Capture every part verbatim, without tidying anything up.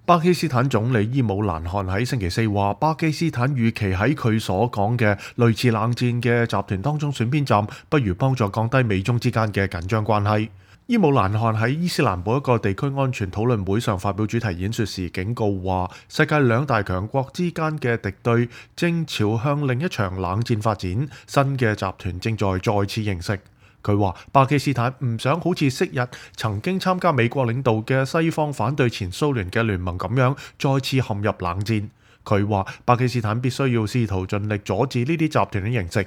巴基斯坦總理伊姆蘭汗喺星期四話，巴基斯坦與其喺佢所講嘅類似冷戰嘅集團當中選邊站，不如幫助降低美中之間嘅緊張關係。伊姆蘭汗喺伊斯蘭堡一個地區安全討論會上發表主題演說時警告話，世界兩大強國之間嘅敵對正朝向另一場冷戰發展，新嘅集團正在再次形成。佢話巴基斯坦唔想好似昔日曾經參加美國領導嘅西方反對前蘇聯嘅聯盟咁樣再次陷入冷戰。佢話巴基斯坦必須要試圖盡力阻止呢啲集團嘅形成。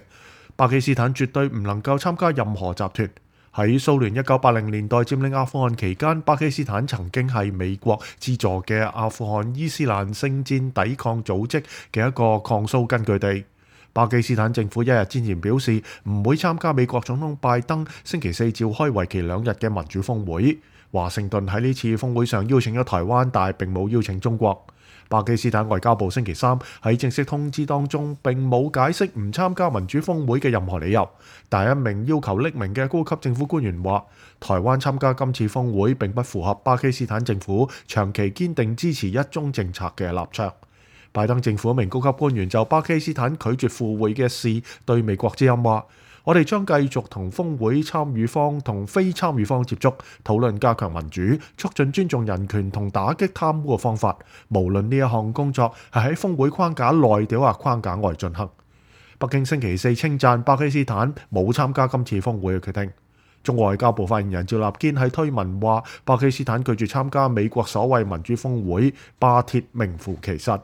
巴基斯坦絕對唔能夠參加任何集團。喺蘇聯一九八零年代佔領阿富汗期間，巴基斯坦曾經係美國資助嘅阿富汗伊斯蘭聖戰抵抗組織嘅一個抗蘇根據地。巴基斯坦政府一日之前表示唔會參加美國總統拜登星期四召開為期兩日嘅民主峰會。華盛頓喺呢次峰會上邀請咗台灣，但係並冇邀請中國。巴基斯坦外交部星期三喺正式通知當中並冇解釋唔參加民主峰會嘅任何理由，但一名要求匿名嘅高級政府官員話，台灣參加今次峰會並不符合巴基斯坦政府長期堅定支持一中政策嘅立場。拜登政府一名高級官員就巴基斯坦拒絕赴會嘅事對美國之音話，我哋將繼續同峰會參與方同非參與方接觸，討論加強民主、促進尊重人權同打擊貪污嘅方法，無論呢一項工作係喺峰會框架內定或框架外進行。北京星期四稱讚巴基斯坦冇參加今次峰會嘅決定。中國外交部發言人趙立堅喺推文話，巴基斯坦拒絕參加美國所謂民主峰會，巴鐵名副其實。